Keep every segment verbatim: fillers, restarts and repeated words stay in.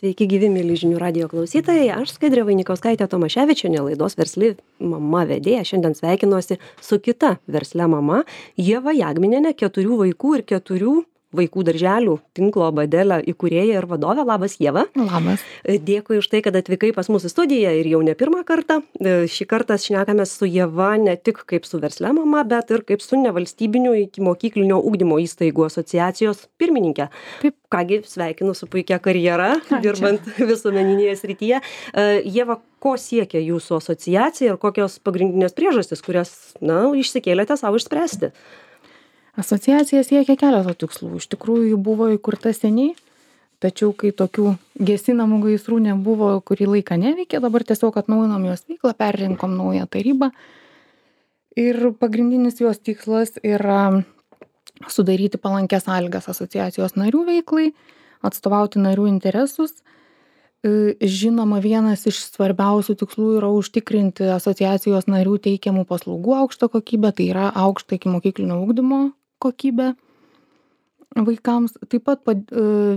Sveiki gyvi, mėly žinių radijo klausytojai. Aš Skaidrė Vainikauskaitė Tomaševičienė, laidos versli mama vedėja. Šiandien sveikinuosi su kita versle mama, Ieva Jagminienė, keturių vaikų ir keturių vaikų darželių tinklo Badelė įkūrėja ir vadovė. Labas, Ieva. Labas. Dėkui už tai, kad atvykai pas mūsų studiją ir jau ne pirmą kartą. Šį kartą šnekamės su Ieva ne tik kaip su versle mama, bet ir kaip su nevalstybinių ikimokyklinio ugdymo įstaigų asociacijos pirmininkė. Taip. Kągi, sveikinu su puikia karjera, dirbant visuomeninėje srityje. Ieva, ko siekia jūsų asociacija ir kokios pagrindinės priežastys, kurias, na, išsikėlėte savo išspręsti? Asociacija siekia keletą tikslų. Iš tikrųjų, ji buvo įkurta seniai, tačiau kai tokių gesinamų gaisrų nebuvo, kurį laiką neveikė, dabar tiesiog atnaujinom jos veiklą, perrinkom naują tarybą. Ir pagrindinis jos tikslas yra sudaryti palankės sąlygas asociacijos narių veiklai, atstovauti narių interesus. Žinoma, vienas iš svarbiausių tikslų yra užtikrinti asociacijos narių teikiamų paslaugų aukštą kokybę, tai yra aukštą ikimokyklinio ugdymo kokybę vaikams. Taip pat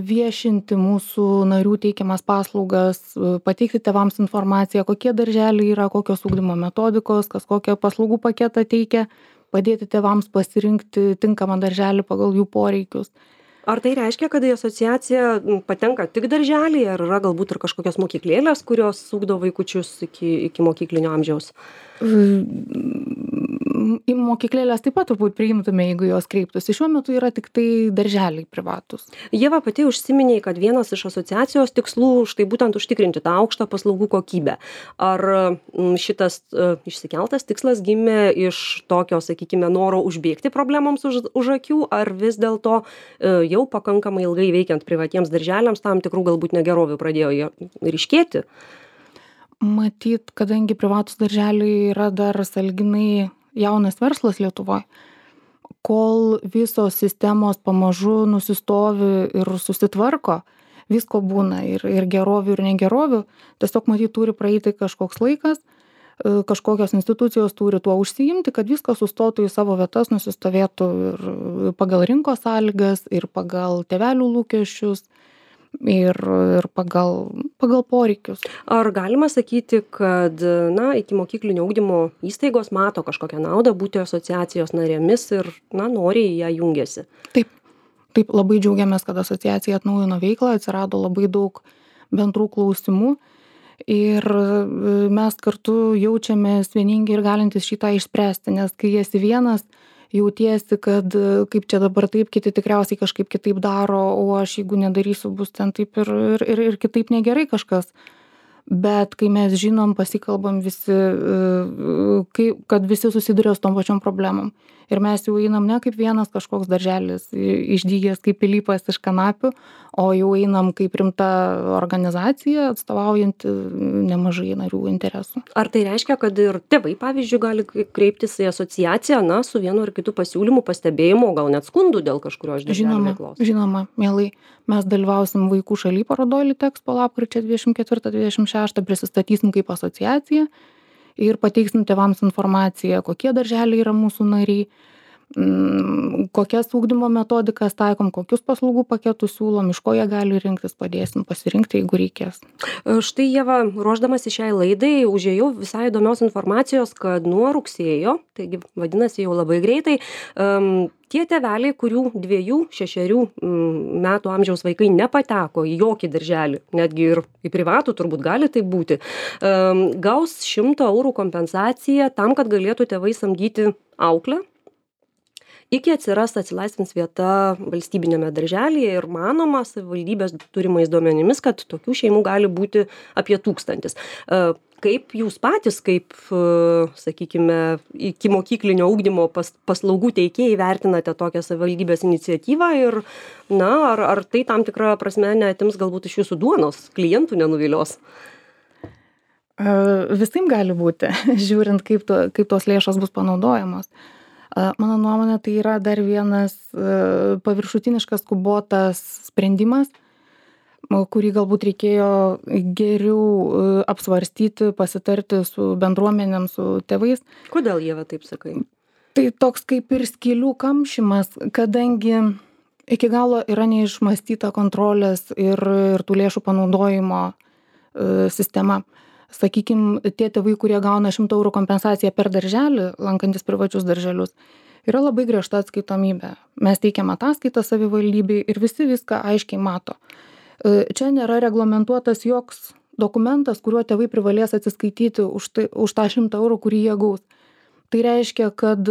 viešinti mūsų narių teikiamas paslaugas, pateikti tėvams informaciją, kokie darželiai yra, kokios ugdymo metodikos, kas kokią paslaugų paketą teikia, padėti tėvams pasirinkti tinkamą darželį pagal jų poreikius. Ar tai reiškia, kad į asociaciją patenka tik darželiai, ar yra galbūt ir kažkokios mokyklėlės, kurios ugdo vaikučius iki, iki mokyklinio amžiaus? Į mokyklėlės taip pat turbūt priimtume, jeigu jos kreiptųsi. Šiuo metu yra tik tai darželiai privatus. Ieva, pati užsiminė, kad vienas iš asociacijos tikslų štai būtent užtikrinti tą aukštą paslaugų kokybę. Ar šitas uh, išsikeltas tikslas gimė iš tokio, sakykime, noro užbėgti problemams už, už akių, ar vis dėlto uh, jau pakankamai ilgai veikiant privatiems darželiams tam tikrų galbūt negerovių pradėjo ryškėti? Matyt, kadangi privatus darželiai yra dar sąlyginai jaunas verslas Lietuvoje, kol visos sistemos pamažu nusistovi ir susitvarko, visko būna ir, ir gerovių, ir negerovių, tiesiog matyt turi praeiti kažkoks laikas, kažkokios institucijos turi tuo užsiimti, kad viskas sustotų į savo vietas, nusistovėtų ir pagal rinkos sąlygas, ir pagal tėvelių lūkesčius, ir, ir pagal, pagal poreikius. Ar galima sakyti, kad, na, ikimokyklinio ugdymo įstaigos mato kažkokią naudą būti asociacijos narėmis ir, na, noriai į ją jungiasi? Taip, taip, labai džiaugiamės, kad asociacija atnaujino veiklą, atsirado labai daug bendrų klausimų ir mes kartu jaučiamės vieningi ir galintys šitą išspręsti, nes kai esi vienas, jautiesi, kad kaip čia dabar taip, kiti tikriausiai kažkaip kitaip daro, o aš jeigu nedarysiu, bus ten taip ir, ir, ir kitaip negerai kažkas. Bet kai mes žinom, pasikalbam visi, kai, kad visi susiduria su tom pačiom problemom. Ir mes jau einam ne kaip vienas kažkoks darželis, išdygęs kaip pilypas iš kanapių, o jau einam kaip rimta organizacija, atstovaujanti nemažai narių interesų. Ar tai reiškia, kad ir tėvai, pavyzdžiui, gali kreiptis į asociaciją, na, su vienu ar kitu pasiūlymu, pastebėjimu, gal net skundų dėl kažkurio iš darželio veiklos? Žinoma, mielai. Mes dalyvausim vaikų šaly parodoj Litexpo lapkričio dvidešimt ketvirtą dvidešimt šeštą, prisistatysim kaip asociacija ir pateiksim tėvams informaciją, kokie darželiai yra mūsų nariai, kokias ugdymo metodikas taikom, kokius paslaugų paketus siūlom, iš ko jie gali rinktis, padėsim pasirinkti, jeigu reikės. Štai, Ieva, ruošdamasi šiai laidai, užėjau visai įdomios informacijos, kad nuo rugsėjo, taigi vadinasi jau labai greitai, um, tie tėveliai, kurių dviejų, šešerių metų amžiaus vaikai nepateko į jokį darželį, netgi ir į privatų turbūt gali tai būti, um, gaus šimto eurų kompensaciją tam, kad galėtų tėvai samdyti auklę, iki atsiras atsilaisvins vieta valstybinėme darželyje ir manoma savivaldybės turimais duomenimis, kad tokių šeimų gali būti apie tūkstantis. Kaip jūs patys, kaip, sakykime, ikimokyklinio ugdymo pas, paslaugų teikėjai vertinate tokią savivaldybės iniciatyvą ir, na, ar, ar tai tam tikrą prasme neatims galbūt iš jūsų duonos, klientų nenuvilios? Visaip gali būti, žiūrint, kaip, to, kaip tos lėšos bus panaudojamos. Mano nuomonė, tai yra dar vienas paviršutiniškas skubotas sprendimas, kurį galbūt reikėjo geriau apsvarstyti, pasitarti su bendruomenėm, su tėvais. Kodėl, Ieva, taip sakai? Tai toks kaip ir skylių kamšymas, kadangi iki galo yra neišmąstyta kontrolės ir, ir tų lėšų panaudojimo e, sistema. Sakykime, tie tėvai, kurie gauna šimto eurų kompensaciją per darželį, lankantis privačius darželius, yra labai griežta atskaitomybė. Mes teikiam ataskaitą savivaldybei ir visi viską aiškiai mato. E, čia nėra reglamentuotas joks dokumentas, kuriuo tėvai privalės atsiskaityti už, tai, už tą šimtą eurų, kurį jie gaus. Tai reiškia, kad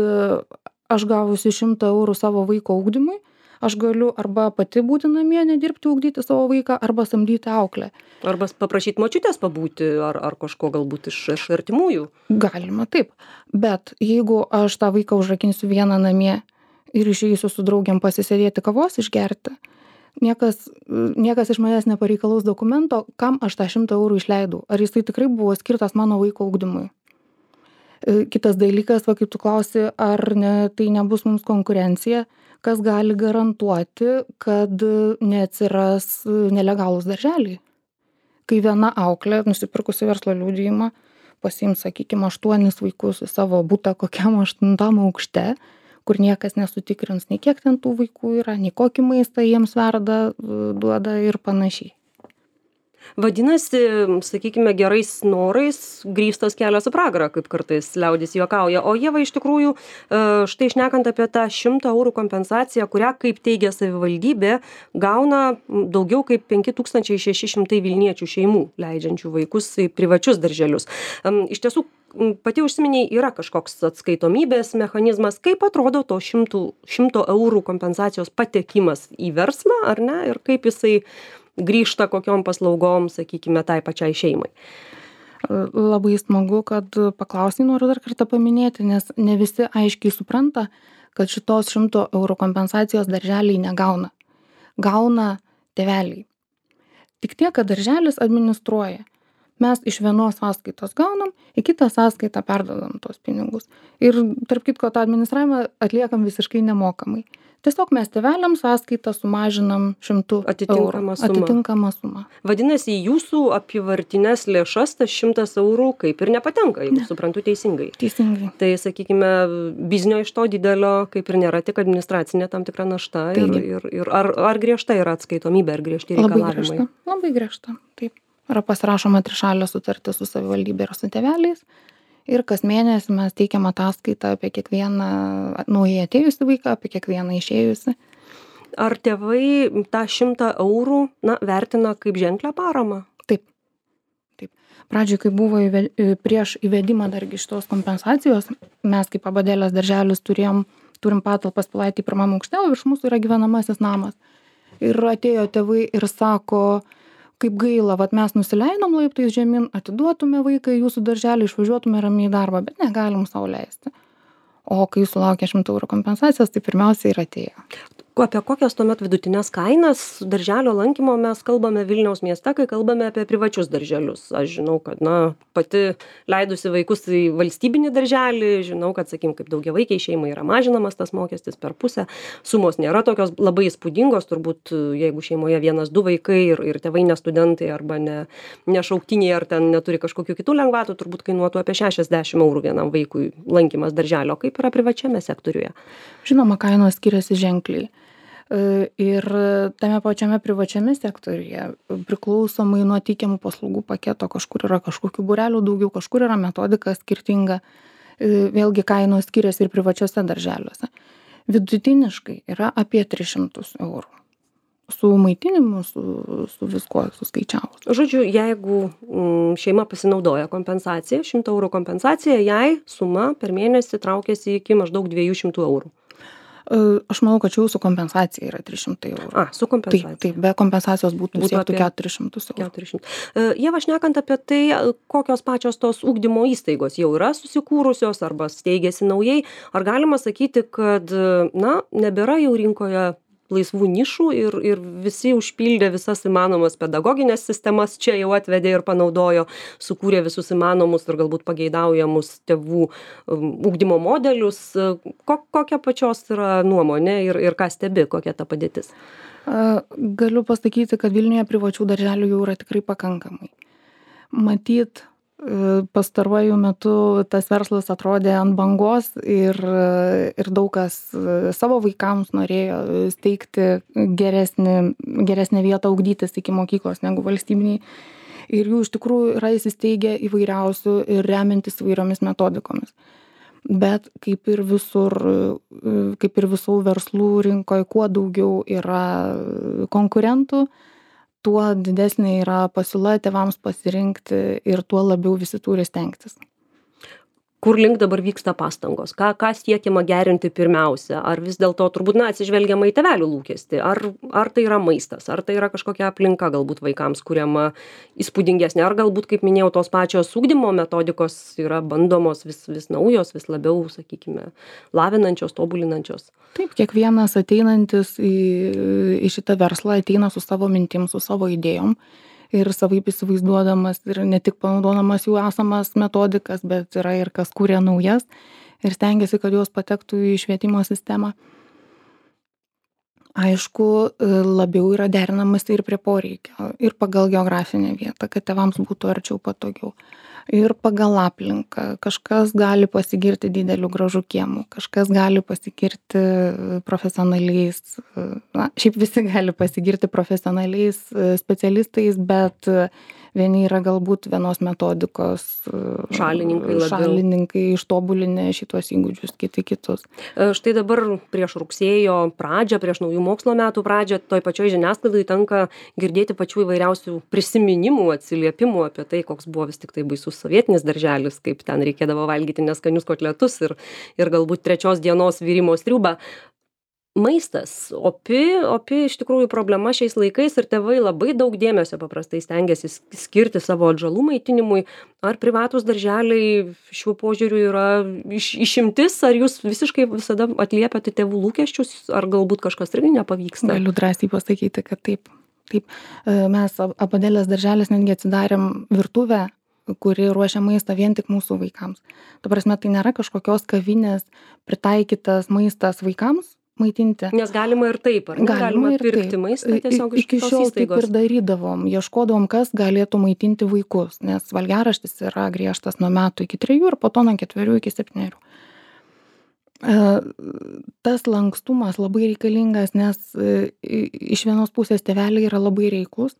aš gavusi šimtą eurų savo vaiko ugdymui, aš galiu arba pati būti namie, nedirbti, ugdyti savo vaiką, arba samdyti auklę. Arba paprašyti močiutės pabūti, ar, ar kažko galbūt iš, iš artimųjų. Galima taip, bet jeigu aš tą vaiką užrakinsiu vieną namie ir išeisiu su draugiam pasisėdėti kavos išgerti, niekas, niekas iš manęs nepareikalaus dokumento, kam aš tą šimtą eurų išleidau. Ar jisai tikrai buvo skirtas mano vaiko ugdymui. Kitas dalykas, va, kaip tu klausi, ar ne, tai nebus mums konkurencija, kas gali garantuoti, kad neatsiras nelegalūs darželiai. Kai viena auklė, nusipirkusi verslo liudijimą, pasiims, sakykime, aštuonis vaikus į savo butą kokiam aštuntam aukšte, kur niekas nesutikrins, nei kiek ten tų vaikų yra, nei kokį maistą jiems verda, duoda ir panašiai. Vadinasi, sakykime, gerais norais grįstas kelias į pragarą, kaip kartais liaudis juokauja. O Ieva, iš tikrųjų, štai šnekant apie tą šimtą eurų kompensaciją, kurią, kaip teigia savivaldybė, gauna daugiau kaip penki tūkstančiai šeši šimtai Vilniečių šeimų, leidžiančių vaikus į privačius darželius. Iš tiesų, pati užsiminiai, yra kažkoks atskaitomybės mechanizmas, kaip atrodo to šimto eurų kompensacijos patekimas į verslą, ar ne, ir kaip jisai grįžta kokiom paslaugom, sakykime, tai pačiai šeimai. Labai smagu, kad paklausai, noriu dar kartą paminėti, nes ne visi aiškiai supranta, kad šitos šimto eurų kompensacijos darželiai negauna. Gauna tėveliai. Tik tiek, kad darželis administruoja. Mes iš vienos sąskaitos gaunam, į kitą sąskaitą perdodam tos pinigus. Ir tarp kitko, tą administravimą atliekam visiškai nemokamai. Tiesiog mes tėveliam sąskaitą sumažinam šimtu eurų. Atitinkamą sumą. Vadinasi, jūsų apyvartinės lėšas tas šimtas eurų kaip ir nepatenka, jeigu ne. Suprantu teisingai. Teisingai. Tai, sakykime, biznio iš to didelio kaip ir nėra, tik administracinė tam tikra našta. Ir, ir, ir ar, ar griežta yra atskaitomybė, ar griežti reikalavimai? Labai griežta. Labai griežta. Taip. Yra pasirašoma trišalė sutartis su savivaldybė ir su tėveliais. Ir kas mėnesį mes teikiam ataskaitą apie kiekvieną naujai atėjusį vaiką, apie kiekvieną išėjusį. Ar tėvai tą šimtą eurų na, vertina kaip ženklę paramą? Taip. Taip. Pradžioj, kai buvo įve, prieš įvedimą dargi šitos kompensacijos, mes kaip Abadėlės darželis turėjom, turim patalpas Pilaitėj pirmam aukšte, o virš mūsų yra gyvenamasis namas. Ir atėjo tėvai ir sako, kaip gaila, vat mes nusileidom laiptais žemyn, atiduotume vaiką į jūsų darželį, išvažiuotume ramiai į darbą, bet negalim sau leisti. O kai sulaukė šimto eurų kompensacijos, tai pirmiausia ir atėjo. Apie kokias tuomet vidutinės kainas darželio lankymo mes kalbame Vilniaus mieste, kai kalbame apie privačius darželius? Aš žinau, kad na, pati leidusi vaikus į valstybinį darželį, žinau, kad, sakykim, kaip daugiavaikiai šeimai yra mažinamas tas mokestis per pusę. Sumos nėra tokios labai įspūdingos, turbūt jeigu šeimoje vienas, du vaikai ir, ir tėvai ne studentai arba ne, ne šauktiniai ar ten neturi kažkokių kitų lengvatų, turbūt kainuotų apie šešiasdešimt eurų vienam vaikui lankymas darželio. Kaip yra privačiame sektoriuje? Žinoma, kainos skiriasi ženkliai. Ir tame pačiame privačiame sektoriuje priklausomai nuo teikiamų paslaugų paketo, kažkur yra kažkokių būrelių daugiau, kažkur yra metodika skirtinga, vėlgi kainos skiriasi ir privačiose darželiuose. Vidutiniškai yra apie tris šimtus eurų. Su maitinimu, su, su viskuo suskaičiavus. Žodžiu, jeigu mm, šeima pasinaudoja kompensaciją, šimto eurų kompensacija, jai suma per mėnesį traukiasi iki maždaug dviejų šimtų eurų. Aš manau, kad čia jūsų kompensacija yra trys šimtai eurų. A, su kompensacija. Taip, taip, be kompensacijos būtų, būtų siektų keturis šimtus eurų. keturi šimtai. Ieva, šnekant apie tai, kokios pačios tos ugdymo įstaigos jau yra susikūrusios arba steigėsi naujai, ar galima sakyti, kad na, nebėra jau rinkoje laisvų nišų ir, ir visi užpildė visas įmanomas pedagoginės sistemas, čia jau atvedė ir panaudojo, sukūrė visus įmanomus ir galbūt pageidaujamus tėvų ugdymo modelius. Ko, kokia pačios yra nuomonė ir, ir ką stebi, kokia ta padėtis? Galiu pasakyti, kad Vilniuje privačių darželių jau yra tikrai pakankamai. Matyt, pastaruoju metu tas verslas atrodė ant bangos ir, ir daug kas savo vaikams norėjo steigti geresnį, geresnę vietą ugdytis iki mokyklos negu valstybiniai. Ir jų iš tikrųjų yra įsisteigę įvairiausių ir remiantis įvairiomis metodikomis. Bet kaip ir visur, kaip ir visų verslų rinkoje, kuo daugiau yra konkurentų, tuo didesnė yra pasiūla tėvams pasirinkti ir tuo labiau visi turi stengtis. Kur link dabar vyksta pastangos? Ką, ką siekiama gerinti pirmiausia? Ar vis dėlto turbūt, na, atsižvelgiama į tėvelių lūkestį? Ar, ar tai yra maistas? Ar tai yra kažkokia aplinka galbūt vaikams kuriama įspūdingesnė? Ar galbūt, kaip minėjau, tos pačios ugdymo metodikos yra bandomos vis, vis naujos, vis labiau, sakykime, lavinančios, tobulinančios? Taip, kiekvienas ateinantis į, į šitą verslą ateina su savo mintim, su savo idėjom. Ir savaip įsivaizduodamas ir ne tik panaudodamas jų esamas metodikas, bet yra ir kas kūrė naujas ir stengiasi, kad jos patektų į švietimo sistemą. Aišku, labiau yra derinamas ir prie poreikio, ir pagal geografinę vietą, kad tėvams būtų arčiau patogiau. Ir pagal aplinką. Kažkas gali pasigirti dideliu gražu kiemu, kažkas gali pasigirti profesionaliais, na, šiaip visi gali pasigirti profesionaliais specialistais, bet vieni yra galbūt vienos metodikos šalininkai, šalininkai ištobulinę šitos įgūdžius, kiti kitus. Štai dabar prieš rugsėjo pradžią, prieš naujų mokslo metų pradžią, toj pačioj žiniasklaidai tenka girdėti pačių įvairiausių prisiminimų, atsiliepimų apie tai, koks buvo vis tik tai baisus sovietinis darželis, kaip ten reikėdavo valgyti neskanius kotletus ir, ir galbūt trečios dienos virimo sriubą. Maistas, opi, opi iš tikrųjų problema šiais laikais ir tėvai labai daug dėmesio paprastai stengiasi skirti savo atžalų maitinimui. Ar privatūs darželiai šiuo požiūriu yra iš, išimtis, ar jūs visiškai visada atliepiate tėvų lūkesčius, ar galbūt kažkas irgi nepavyksta? Galiu drąsiai pasakyti, kad taip. Taip. Mes Abadelės darželis netgi atsidarėm virtuvę, kuri ruošia maistą vien tik mūsų vaikams. Ta prasme, tai nėra kažkokios kavinės pritaikytas maistas vaikams maitinti. Nes galima ir taip, ar ne? Galima, galima ir pirkti taip. maistą tiesiog iš Iki kitos šiol taip įstaigos. ir darydavom, ieškodavom, kas galėtų maitinti vaikus, nes valgiaraštis yra griežtas nuo metų iki trejų ir po to nuo ketverių iki septynerių. Tas lankstumas labai reikalingas, nes iš vienos pusės tėveliai yra labai reiklus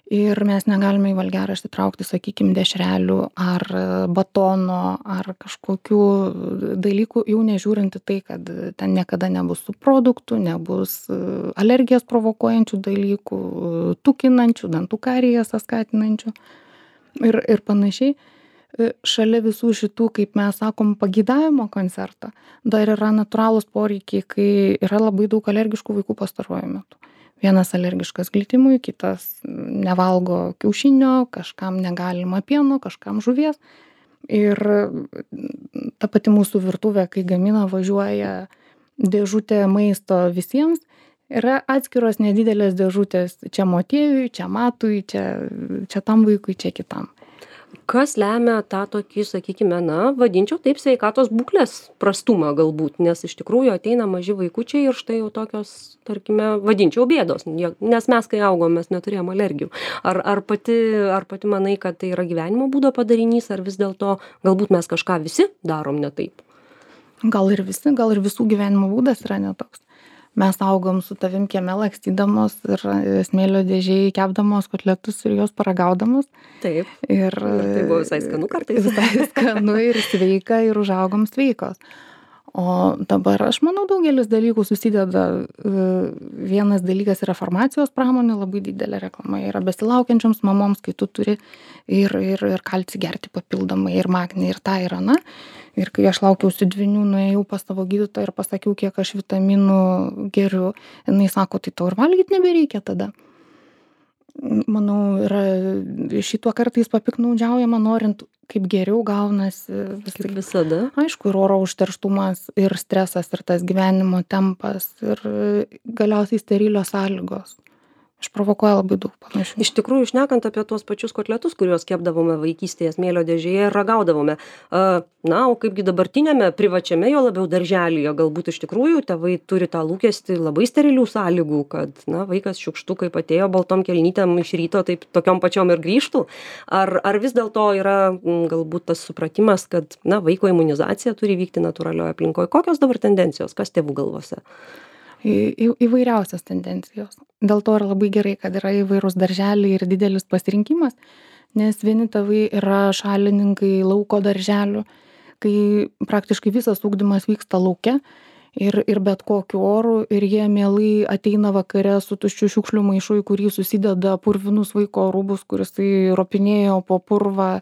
ir mes negalime į valgiaraštį traukti, sakykime, dešrelių ar batono ar kažkokių dalykų, jau nežiūrinti tai, kad ten niekada nebus su produktų, nebus alergijas provokuojančių dalykų, tukinančių, dantų karijas skatinančių ir, ir panašiai. Šalia visų šitų, kaip mes sakom, pageidavimo koncerto, dar yra natūralūs poreikiai, kai yra labai daug alergiškų vaikų pastaruoju metu. Vienas alergiškas glitimui, kitas nevalgo kiaušinio, kažkam negalima pieno, kažkam žuvies. Ir ta pati mūsų virtuvė, kai gamina, važiuoja dėžutė maisto visiems, yra atskiros nedidelės dėžutės čia motiejui, čia matui, čia, čia tam vaikui, čia kitam. Kas lemia tą tokį, sakykime, na, vadinčiau taip, sveikatos būklės prastumą galbūt, nes iš tikrųjų ateina maži vaikučiai ir štai jau tokios, tarkime, vadinčiau bėdos, nes mes, kai augom, mes neturėjom alergijų. Ar, ar, pati, ar pati manai, kad tai yra gyvenimo būdo padarinys, ar vis dėlto galbūt mes kažką visi darom ne taip? Gal ir visi, gal ir visų gyvenimo būdas yra netoks. Mes augom su tavim kieme lakstydamos ir smėlio dėžėj kepdamos kotletus ir juos paragaudamos. Taip. Ir, ir tai buvo visai skanu kartais. Visai skanu ir sveika ir užaugom sveikos. O dabar, aš manau, daugelis dalykų susideda. Vienas dalykas yra farmacijos pramonė, labai didelė reklama yra besilaukiančioms mamoms, kai tu turi ir, ir, ir kalcį gerti papildomai, ir magnį, ir tą, ir aną. Ir kai aš laukiausi dvynių, nuėjau pas savo gydytoją ir pasakiau, kiek aš vitaminų geriu. Jinai sako, tai tau ir valgyti nebereikia tada. Manau, yra šituo kartais papiknaudžiaujama, norint kaip geriau gaunasi. Vis kaip visada. Aišku, ir oro užterštumas, ir stresas, ir tas gyvenimo tempas, ir galiausiai sterilios sąlygos, išprovokuoja labai daug panašių. Iš tikrųjų, šnekant apie tuos pačius kotletus, kuriuos kepdavome vaikystėje smėlio dėžėje ir ragaudavome. Na, o kaipgi dabartinėme privačiame jo labiau darželyje, galbūt iš tikrųjų tėvai turi tą lūkestį labai sterilių sąlygų, kad, na, vaikas šiukštu, kaip atėjo baltom kelnytėm iš ryto, taip tokiom pačiom ir grįžtų. Ar, ar vis dėlto yra m, galbūt tas supratimas, kad, na, vaiko imunizacija turi vykti natūralioje aplinkoje? Kokios dabar tendencijos, kas tėvų galvose? Į, į, įvairiausias tendencijos. Dėl to yra labai gerai, kad yra įvairūs darželiai ir didelis pasirinkimas, nes vieni tėvai yra šalininkai lauko darželių, kai praktiškai visas ugdymas vyksta lauke ir, ir bet kokiu oru ir jie mielai ateina vakare su tuščiu šiukšlių maišu, į kurį susideda purvinus vaiko rūbus, kuris ropinėjo po purvą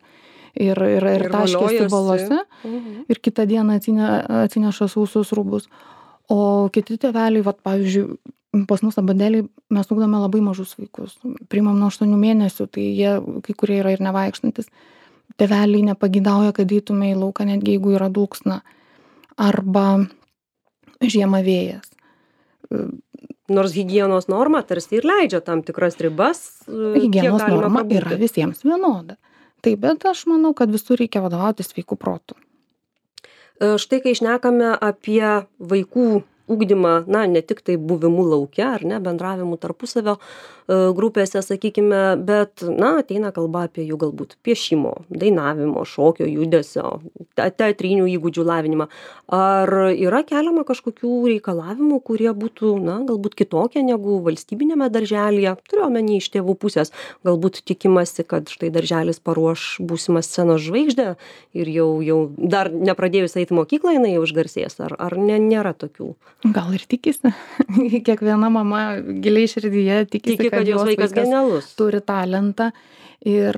ir, ir, ir, ir taškėsi balose mhm. ir kitą dieną atsine, atsineša sausus rūbus. O kiti tėveliai, vat, pavyzdžiui, pas mus abadėliai mes ugdome labai mažus vaikus. Priimam nuo aštuonių mėnesių, tai jie kai kurie yra ir nevaikštantis. Tėveliai nepagidauja, kad eitume į lauką, netgi jeigu yra dulksna. Arba žiemą vėjas. Nors higienos norma tarsi ir leidžia tam tikras ribas. Higienos norma pabūti. Yra visiems vienoda. Taip, bet aš manau, kad visur reikia vadovautis sveikų protų. Štai kai šnekame apie vaikų ugdymą, na, ne tik tai buvimu lauke, ar ne, bendravimu tarpusavio grupėse, sakykime, bet, na, ateina kalba apie jų galbūt piešimo, dainavimo, šokio, judesio, teatrinių įgūdžių lavinimą. Ar yra keliama kažkokių reikalavimų, kurie būtų, na, galbūt kitokie negu valstybinėme darželyje? Turiu omeny iš tėvų pusės, galbūt tikimasi, kad štai darželis paruoš būsimą scenos žvaigždę ir jau, jau dar nepradėjus eiti mokyklą, jinai jau išgarsės. Ar, ar ne, nėra tokių? Gal ir tikisi. Kiekviena mama giliai širdyje tikisi, Tiki, kad, kad jos vaikas, vaikas genialus. Turi talentą. Ir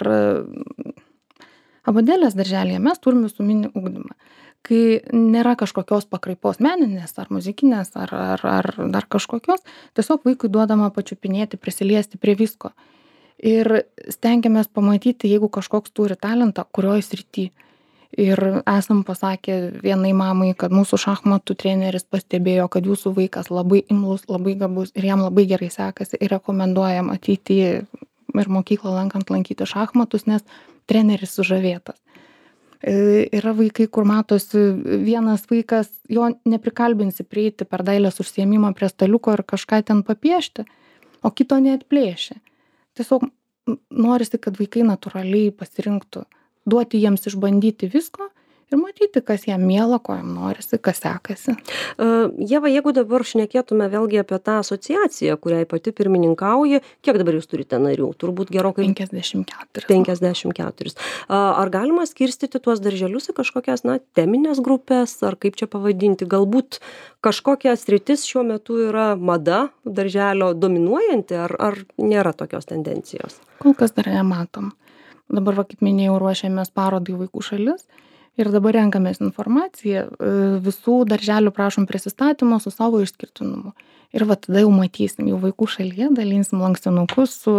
abadėlės darželyje mes turime visuminį ugdymą. Kai nėra kažkokios pakraipos meninės ar muzikinės ar, ar, ar dar kažkokios, tiesiog vaikui duodama pačiupinėti, prisiliesti prie visko. Ir stengiamės pamatyti, jeigu kažkoks turi talentą, kurioj srity. Ir esam pasakę vienai mamai, kad mūsų šachmatų treneris pastebėjo, kad jūsų vaikas labai imlus, labai gabus ir jam labai gerai sekasi ir rekomenduojam ateiti ir mokyklą lankant lankyti šachmatus, nes treneris sužavėtas. Yra vaikai, kur matosi vienas vaikas, jo neprikalbinsi prieiti per dailės užsiėmimą prie staliuko ir kažką ten papiešti, o kito neatplėšia. Tiesiog norisi, kad vaikai natūraliai pasirinktų. Duoti jiems išbandyti visko ir matyti, kas jam miela, ko jam norisi, kas sekasi. Uh, Ieva, jeigu dabar šnekėtume vėlgi apie tą asociaciją, kuriai pati pirmininkauji, kiek dabar jūs turite narių? Turbūt gerokai... penkiasdešimt keturi. penkiasdešimt keturi. Uh, ar galima skirstyti tuos darželius į kažkokias, na, teminės grupės, ar kaip čia pavadinti? Galbūt kažkokia sritis šiuo metu yra mada darželio dominuojanti, ar, ar nėra tokios tendencijos? Kol kas dar nematom. Dabar, va, kaip minėjau, ruošiamės parodai Vaikų šalis ir dabar renkamės informaciją. Visų darželių prašom prisistatymo su savo išskirtinumu. Ir va tada jau matysim, jau Vaikų šalyje dalinsim lankstinukus su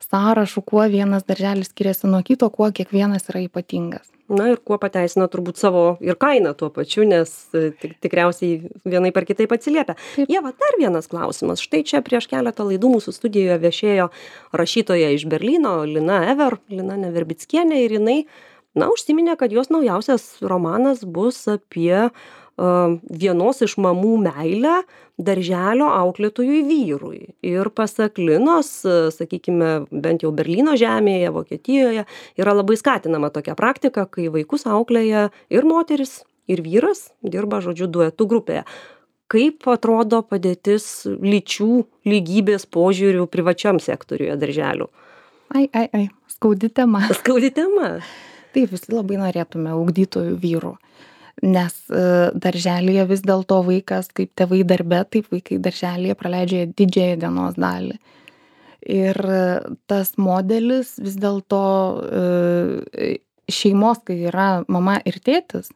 sąrašu, kuo vienas darželis skiriasi nuo kito, kuo kiekvienas yra ypatingas. Na ir kuo pateisina turbūt savo ir kainą tuo pačiu, nes tik, tikriausiai vienai per kitaip atsiliepia. Ieva, dar vienas klausimas. Štai čia prieš keletą laidų mūsų studijoje viešėjo rašytoja iš Berlyno, Lina Ever, Lina Neverbickienė, ir jinai, na, užsiminė, kad jos naujausias romanas bus apie uh, vienos iš mamų meilę darželio auklėtojui vyrui. Ir pasak Linos, sakykime, bent jau Berlyno žemėje, Vokietijoje, yra labai skatinama tokia praktika, kai vaikus auklėja ir moteris, ir vyras, dirba, žodžiu, duetų grupėje. Kaip atrodo padėtis lyčių lygybės požiūrių privačiam sektoriuje darželių? Ai, ai, ai, skaudi tema. Skaudi tema. Taip, visi labai norėtume ugdytojų vyrų. Nes darželyje vis dėlto vaikas, kaip tėvai darbe, taip vaikai darželyje praleidžia didžiąją dienos dalį. Ir tas modelis vis dėlto šeimos, kai yra mama ir tėtis,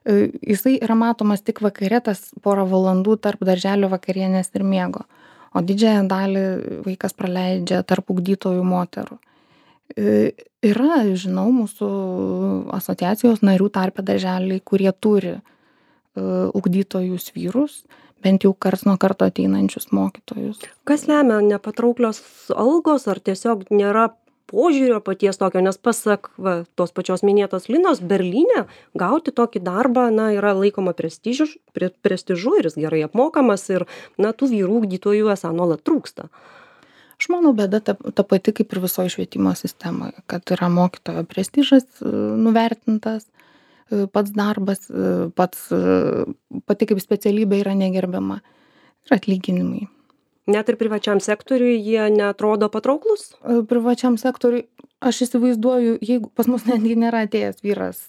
jisai yra matomas tik vakare, tas porą valandų tarp darželio vakarienės ir miego. O didžiąją dalį vaikas praleidžia tarp ugdytojų moterų. Yra, žinau, mūsų asociacijos narių tarpe darželiai, kurie turi uh, ugdytojus vyrus, bent jau karts nuo karto ateinančius mokytojus. Kas lemia nepatrauklios algos, ar tiesiog nėra požiūrio paties tokio, nes pasak va, tos pačios minėtos Linos, Berlyne gauti tokį darbą, na, yra laikoma prestižu, pre, prestižu ir jis gerai apmokamas ir, na, tų vyrų ugdytojų esą nuolat trūksta. Aš manau, bėda ta, ta pati kaip ir visoje švietimo sistemoje, kad yra mokytojo prestižas nuvertintas, pats darbas, pats, pati kaip specialybė yra negerbiama ir atlyginimai. Net ir privačiam sektoriui jie neatrodo patrauklus? Privačiam sektoriui, aš įsivaizduoju, jeigu pas mus netgi nėra atėjęs vyras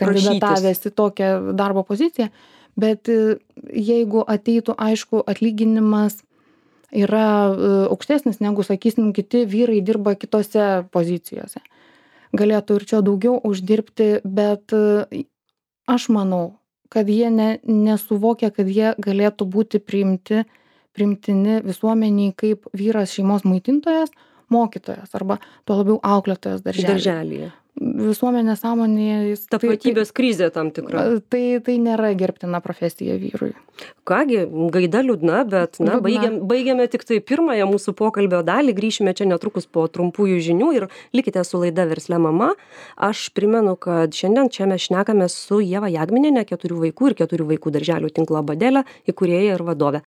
kandidatavęs į tokią darbo poziciją, bet jeigu ateitų, aišku, atlyginimas yra aukštesnis negu, sakysim, kiti vyrai dirba kitose pozicijose. Galėtų ir čia daugiau uždirbti, bet aš manau, kad jie ne, nesuvokia, kad jie galėtų būti priimti primtini visuomeniai kaip vyras šeimos maitintojas, mokytojas arba tuo labiau auklėtojas darželyje. Darželyje. Visuomenės sąmonėje. Tapatybės krizė tam tikra. Tai, tai nėra gerbtina profesija vyrui. Kągi, gaida liūdna, bet na, baigiam, baigiame tik tai pirmąją mūsų pokalbio dalį, grįšime čia netrukus po trumpųjų žinių ir likite su laida Verslia mama. Aš primenu, kad šiandien čia mes šnekame su Ieva Jagminiene, keturių vaikų ir keturių vaikų darželių tinklo Badelė, įkūrėja ir vadovė.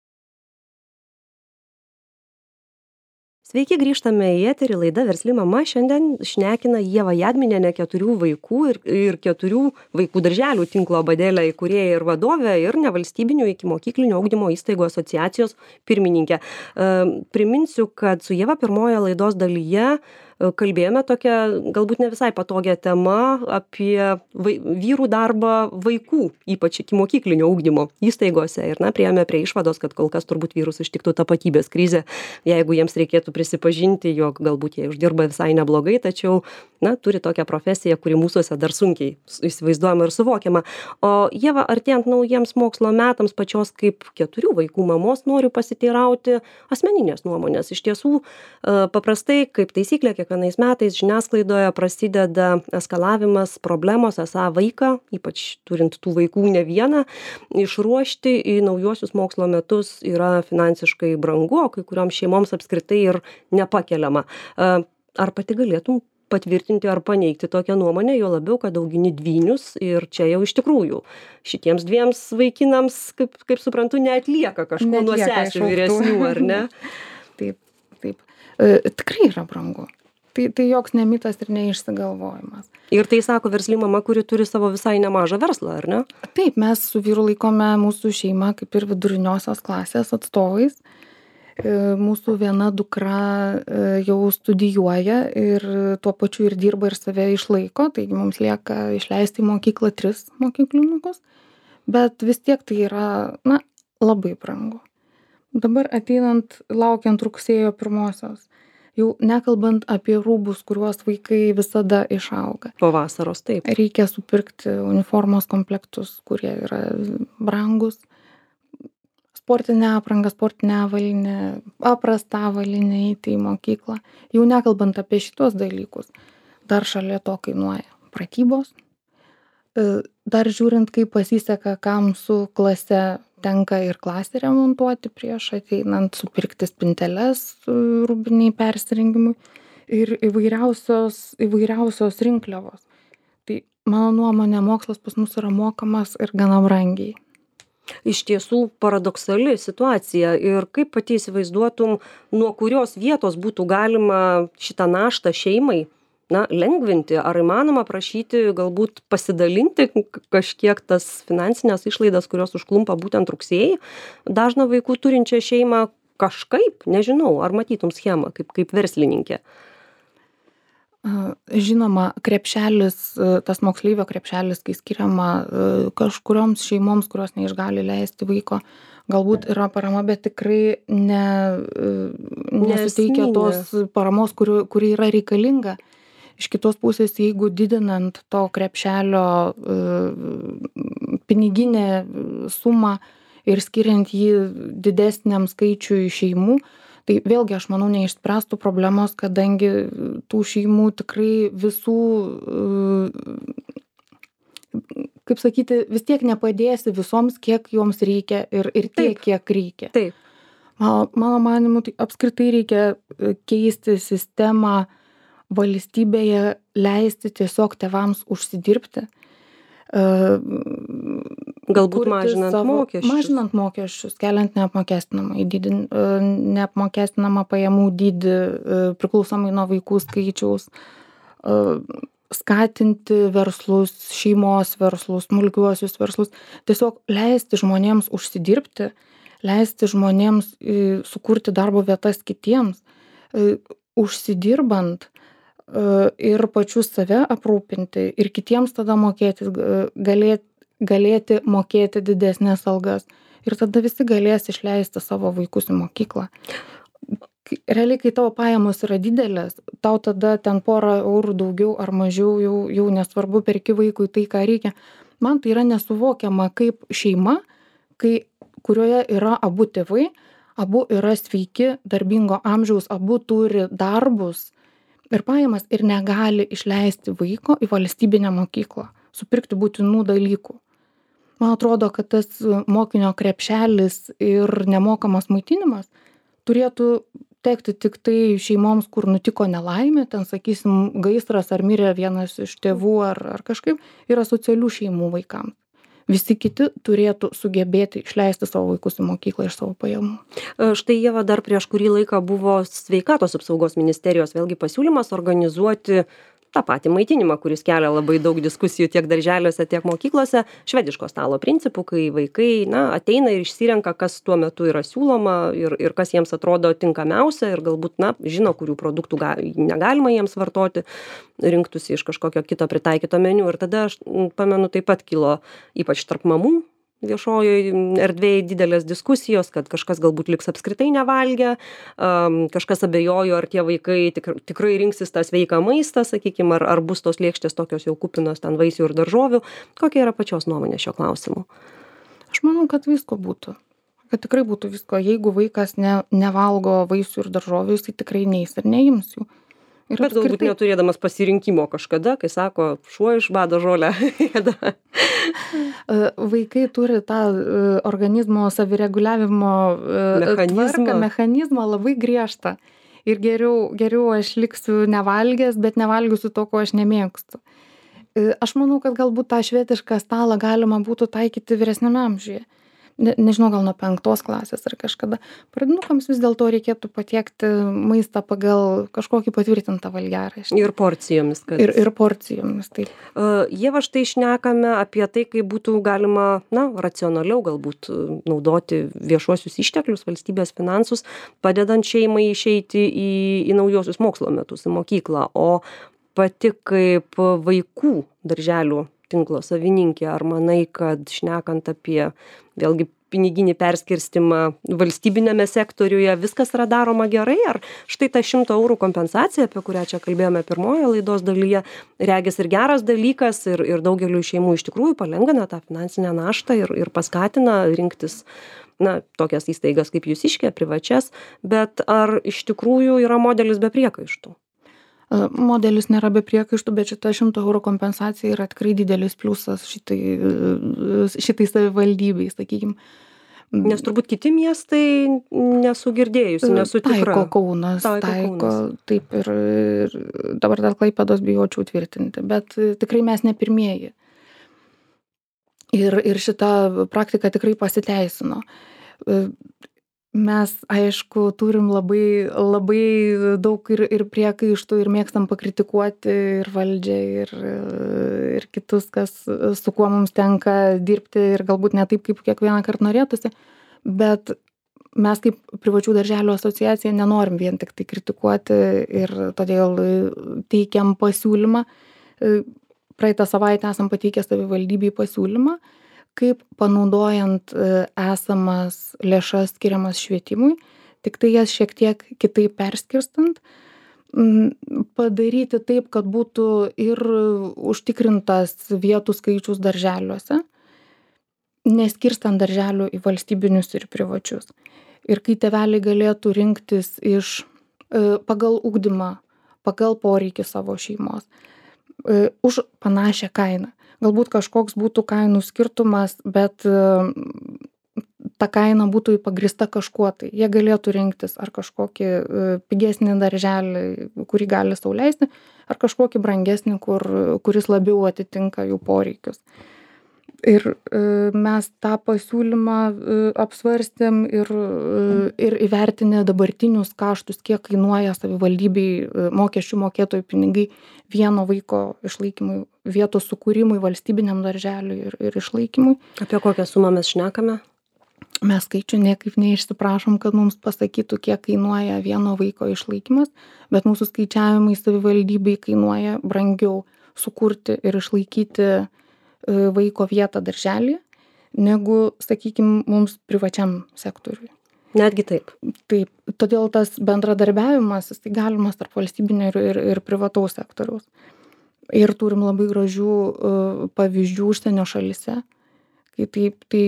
Sveiki, grįžtame į eterį, laida Versli mama. Šiandien šnekina Ieva Jagminienė, keturių vaikų ir, ir keturių vaikų darželių tinklo Badelė įkūrėja ir vadovė ir nevalstybinių ikimokyklinio ugdymo įstaigų asociacijos pirmininkė. E, priminsiu, kad su Ieva pirmoje laidos dalyje kalbėjome tokią galbūt ne visai patogią temą apie vai, vyrų darbą vaikų, ypač ikimokyklinio ugdymo įstaigose. Ir na, priėjome prie išvados, kad kol kas turbūt vyrus ištiktų tapatybės krizė, jeigu jiems reikėtų prisipažinti, jog galbūt jie uždirba visai neblogai, tačiau na, turi tokią profesiją, kuri mūsuose dar sunkiai įsivaizduojama ir suvokiama. O Ieva, artėjant naujiems mokslo metams, pačios kaip keturių vaikų mamos, noriu pasiteirauti asmeninės nuomonės. Iš tiesų, paprastai, kaip taisyklė, kiekvienais metais žiniasklaidoje prasideda eskalavimas problemos, esą vaiką, ypač turint tų vaikų ne vieną, išruošti į naujuosius mokslo metus yra finansiškai brangu, o kai kurioms šeimoms apskritai ir nepakeliama. Ar pati galėtum patvirtinti ar paneigti tokią nuomonę, jo labiau, kad augini dvynius ir čia jau iš tikrųjų šitiems dviems vaikinams, kaip, kaip suprantu, neatlieka kažko nuo sesių vyresnių, ar ne? Taip, taip. E, tikrai yra brangu. Tai, tai joks ne mitas ir neišsigalvojimas. Ir tai sako Versli mama, kuri turi savo visai nemažą verslą, ar ne? Taip, mes su vyru laikome mūsų šeimą kaip ir viduriniosios klasės atstovais. Mūsų viena dukra jau studijuoja ir tuo pačiu ir dirba ir save išlaiko, taigi mums lieka išleisti į mokyklą tris mokyklinukus, bet vis tiek tai yra, na, labai brangu. Dabar ateinant, laukiant rugsėjo pirmosios, jau nekalbant apie rūbus, kuriuos vaikai visada išauga. Po vasaros, taip. Reikia supirkti uniformos komplektus, kurie yra brangus. Sportinę aprangą, sportinę avalynę, paprastą avalynę eiti į mokyklą. Jau nekalbant apie šitos dalykus, dar šalia to kainuoja pratybos. Dar žiūrint, kaip pasiseka, kam su klase tenka ir klasę remontuoti prieš ateinant, supirkti spinteles rūbiniai persirengimui ir įvairiausios, įvairiausios rinkliavos. Tai mano nuomonė, mokslas pas mus yra mokamas ir gana brangiai. Iš tiesų paradoksali situacija ir kaip pati įsivaizduotum, nuo kurios vietos būtų galima šitą naštą šeimai na, lengvinti, ar įmanoma prašyti galbūt pasidalinti kažkiek tas finansinės išlaidas, kurios užklumpa būtent rugsėjį, dažną vaikų turinčią šeimą kažkaip, nežinau, ar matytum schemą kaip, kaip verslininkė. Žinoma, krepšelis, tas moksleivio krepšelis, kai skiriama kažkurioms šeimoms, kurios neišgali leisti vaiko, galbūt yra parama, bet tikrai ne, nesuteikia tos paramos, kuri, kuri yra reikalinga. Iš kitos pusės, jeigu didinant to krepšelio piniginę sumą ir skiriant jį didesniam skaičiui šeimų, tai vėlgi, aš manau, neišspręstų problemos, kadangi tų šeimų tikrai visų, kaip sakyti, vis tiek nepadėsi visoms, kiek joms reikia ir, ir tiek, Taip. kiek reikia. Taip. Mano, mano manimu, tai apskritai reikia keisti sistemą valstybėje, leisti tiesiog tėvams užsidirbti. Galbūt mažinant savo, mokesčius. Mažinant mokesčius, keliant neapmokestinamą, dydį, neapmokestinamą pajamų dydį priklausomai nuo vaikų skaičiaus, skatinti verslus, šeimos verslus, smulkiuosius verslus, tiesiog leisti žmonėms užsidirbti, leisti žmonėms sukurti darbo vietas kitiems, užsidirbant ir pačius save aprūpinti ir kitiems tada mokėti, galėti, galėti mokėti didesnės algas. Ir tada visi galės išleisti savo vaikus į mokyklą. Realiai, kai tavo pajamos yra didelės, tau tada ten porą eurų daugiau ar mažiau, jau, jau nesvarbu, perki vaikui tai, ką reikia. Man tai yra nesuvokiama kaip šeima, kai, kurioje yra abu tėvai, abu yra sveiki, darbingo amžiaus, abu turi darbus ir pajamas ir negali išleisti vaiko į valstybinę mokyklą, supirkti būtinų dalykų. Man atrodo, kad tas mokinio krepšelis ir nemokamas maitinimas turėtų tekti tik tai šeimoms, kur nutiko nelaimė, ten, sakysim, gaisras ar mirė vienas iš tėvų ar, ar kažkaip, yra socialių šeimų vaikams. Visi kiti turėtų sugebėti išleisti savo vaikus į mokyklą iš savo pajamų. Štai, Ieva, dar prieš kurį laiką buvo sveikatos apsaugos ministerijos vėlgi pasiūlymas organizuoti tą patį maitinimą, kuris kelia labai daug diskusijų tiek darželiuose, tiek mokyklose, švediško stalo principų, kai vaikai na, ateina ir išsirenka, kas tuo metu yra siūloma ir, ir kas jiems atrodo tinkamiausia ir galbūt na, žino, kurių produktų ga, negalima jiems vartoti, rinktųsi iš kažkokio kito pritaikyto meniu. Ir tada aš pamenu, taip pat kilo ypač tarp mamų viešojoje erdvėje didelės diskusijos, kad kažkas galbūt liks apskritai nevalgę, um, kažkas abejojo, ar tie vaikai tikr, tikrai rinksis tą sveiką maistą, sakykime, ar, ar bus tos lėkštės tokios jau kupinos ten vaisių ir daržovių. Kokia yra pačios nuomonė šio klausimu? Aš manau, kad visko būtų. Kad tikrai būtų visko. Jeigu vaikas ne, nevalgo vaisių ir daržovių, jis tikrai neis ir neims jų. Ir bet apskritai... galbūt neturėdamas pasirinkimo kažkada, kai sako, šuo iš bado žolę. Vaikai turi tą organizmo savireguliavimo mechanizmą. Tvarką, mechanizmą labai griežtą. Ir geriau, geriau aš liksiu nevalgęs, bet nevalgysiu to, ko aš nemėgstu. Aš manau, kad galbūt tą švedišką stalą galima būtų taikyti vyresniame amžiuje. Ne, nežinau, gal nuo penktos klasės ar kažkada. Pradinukams vis dėlto reikėtų patiekti maistą pagal kažkokį patvirtintą valgiaraštį. Ir porcijomis. Kad... Ir, ir porcijomis, taip. Uh, Ieva, štai šnekame apie tai, kaip būtų galima, na, racionaliau galbūt naudoti viešuosius išteklius, valstybės finansus, padedant šeimai išeiti į, į naujosius mokslo metus, į mokyklą. O pati kaip vaikų darželių tinklo savininkė, ar manai, kad šnekant apie vėlgi piniginį perskirstimą valstybinėme sektoriuje, viskas yra daroma gerai, ar štai ta šimto eurų kompensacija, apie kurią čia kalbėjome pirmoje laidos dalyje, regis ir geras dalykas ir, ir daugeliu šeimų iš tikrųjų palengvina tą finansinę naštą ir, ir paskatina rinktis na, tokias įstaigas kaip Jūsiškė, privačias, bet ar iš tikrųjų yra modelis be priekaištų? Modelis nėra be priekaištų, bet šita šimto eurų kompensacija yra tikrai didelis pliusas šitai, šitai savivaldybei, sakykime. Nes turbūt kiti miestai nesu girdėjusi, nesu tikra. Taiko Kaunas, taiko, taiko taip ir, ir dabar dar Klaipėdos bijočiau tvirtinti, bet tikrai mes ne pirmieji. Ir, ir šita praktika tikrai pasiteisino. Mes, aišku, turim labai, labai daug ir, ir priekaištų ir mėgstam pakritikuoti ir valdžią, ir, ir kitus, kas, su kuo mums tenka dirbti ir galbūt ne taip, kaip kiekvieną kartą norėtųsi, bet mes kaip privačių darželių asociacija nenorim vien tik tai kritikuoti ir todėl teikiam pasiūlymą. Praeitą savaitę esam pateikę savivaldybei pasiūlymą, kaip panaudojant esamas lėšas skiriamas švietimui, tik tai jas šiek tiek kitaip perskirstant, padaryti taip, kad būtų ir užtikrintas vietų skaičius darželiuose, neskirstant darželių į valstybinius ir privačius. Ir kai tėveliai galėtų rinktis iš pagal ugdymą, pagal poreikį savo šeimos, už panašią kainą. galbūt kažkoks būtų kainų skirtumas, bet ta kaina būtų pagrįsta kažkuo tai. Jie galėtų rinktis ar kažkokį pigesnį darželį, kurį gali sau leisti, ar kažkokį brangesnį, kur, kuris labiau atitinka jų poreikius. Ir mes tą pasiūlymą apsvarstėm ir, ir įvertinę dabartinius kaštus, kiek kainuoja savivaldybei mokesčių mokėtojų pinigai vieno vaiko išlaikymui, vietos sukūrimui, valstybiniam darželiui ir, ir išlaikymui. Apie kokią sumą mes šnekame? Mes skaičių niekaip neišsiprašom, kad mums pasakytų, kiek kainuoja vieno vaiko išlaikymas, bet mūsų skaičiavimai savivaldybei kainuoja brangiau sukurti ir išlaikyti vaiko vietą darželį, negu, sakykime, mums privačiam sektoriui. Netgi taip. Taip, todėl tas bendradarbiavimas, tai galimas tarp valstybinio ir, ir, ir privataus sektoriaus. Ir turim labai gražių uh, pavyzdžių užsienio šalyse, kai taip, tai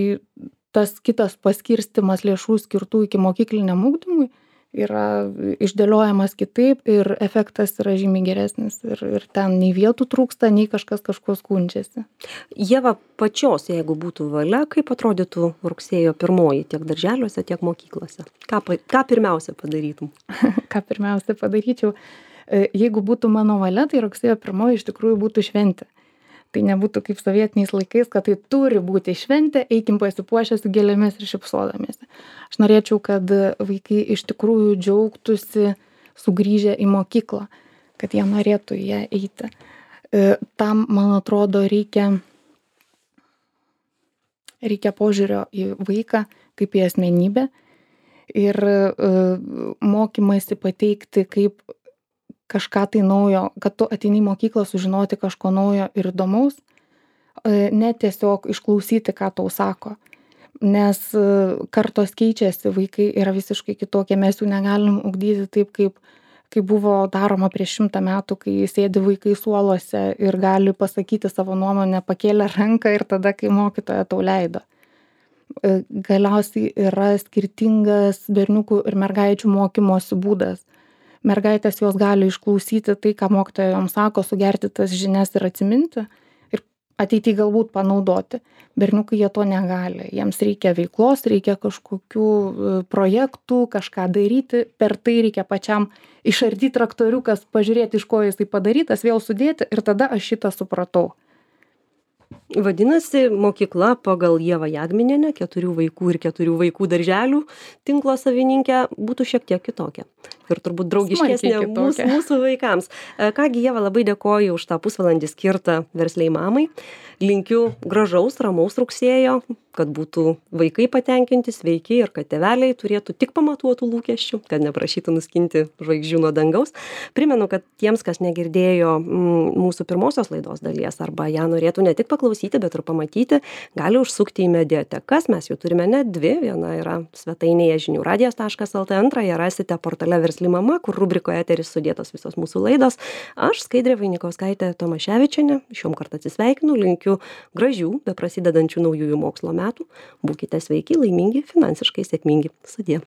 tas kitas paskirstimas lėšų skirtų iki mokykliniam ugdymui yra išdėliojamas kitaip ir efektas yra žymiai geresnis ir, ir ten nei vietų trūksta, nei kažkas kažko skundžiasi. Ieva, pačios, jeigu būtų valia, kaip atrodytų rugsėjo pirmoji tiek darželiuose, tiek mokyklose? Ką, ką pirmiausia padarytum? Ką pirmiausia padaryčiau? Jeigu būtų mano valia, tai rugsėjo pirmoji iš tikrųjų būtų šventė. Tai nebūtų kaip sovietiniais laikais, kad tai turi būti šventė, eikim pasipuošę su gėlėmis ir šypsodamiesi. Aš norėčiau, kad vaikai iš tikrųjų džiaugtųsi sugrįžę į mokyklą, kad jie norėtų į ją eiti. Tam, man atrodo, reikia, reikia požiūrio į vaiką kaip į asmenybę ir mokymasi pateikti kaip kažką tai naujo, kad tu ateini į mokyklą sužinoti kažko naujo ir įdomaus, ne tiesiog išklausyti, ką tau sako. Nes kartos keičiasi, vaikai yra visiškai kitokie, mes jų negalim ugdyti taip, kaip, kaip buvo daroma prieš šimtą metų, kai sėdi vaikai suoluose ir gali pasakyti savo nuomonę, pakėlę ranką ir tada, kai mokytoja tau leido. Galiausiai yra skirtingas berniukų ir mergaičių mokymosi būdas. Mergaitės jos gali išklausyti tai, ką mokytoja joms sako, sugerti tas žinias ir atsiminti ir ateityje galbūt panaudoti. Berniukai jie to negali. Jiems reikia veiklos, reikia kažkokių projektų, kažką daryti. Per tai reikia pačiam išardyti traktoriukas, pažiūrėti, iš ko jisai padarytas, vėl sudėti ir tada aš šitą supratau. Vadinasi, mokykla pagal Ievą Jagminienę, keturių vaikų ir keturių vaikų darželių tinklo savininkę, būtų šiek tiek kitokia. Ir turbūt draugiškesnė mūsų, mūsų vaikams. Kągi, Ieva, labai dėkoju už tą pusvalandį skirtą versliai mamai. Linkiu gražaus, ramaus rugsėjo, kad būtų vaikai patenkinti, sveiki ir kad tėveliai turėtų tik pamatuotų lūkesčių, kad neprašytų nuskinti žvaigždžių nuo dangaus. Primenu, kad tiems, kas negirdėjo mūsų pirmosios laidos dalies arba ją norėtų ne tik paklausyti, bet ir pamatyti, gali užsukti į mediatekas. Mes jų turime net dvi. Viena yra svetainėje žinių radijas taškas el tė, antrąją rasite portale Versli mama, kur rubrikoje eteris sudėtos visos mūsų laidos. Aš, Skaidrė Vainikauskaitė Tomaševičienė, šiom kartą atsisveikinu, linkiu gražių, be prasidedančių naujųjų mokslo metų. Būkite sveiki, laimingi, finansiškai sėkmingi. Sudie.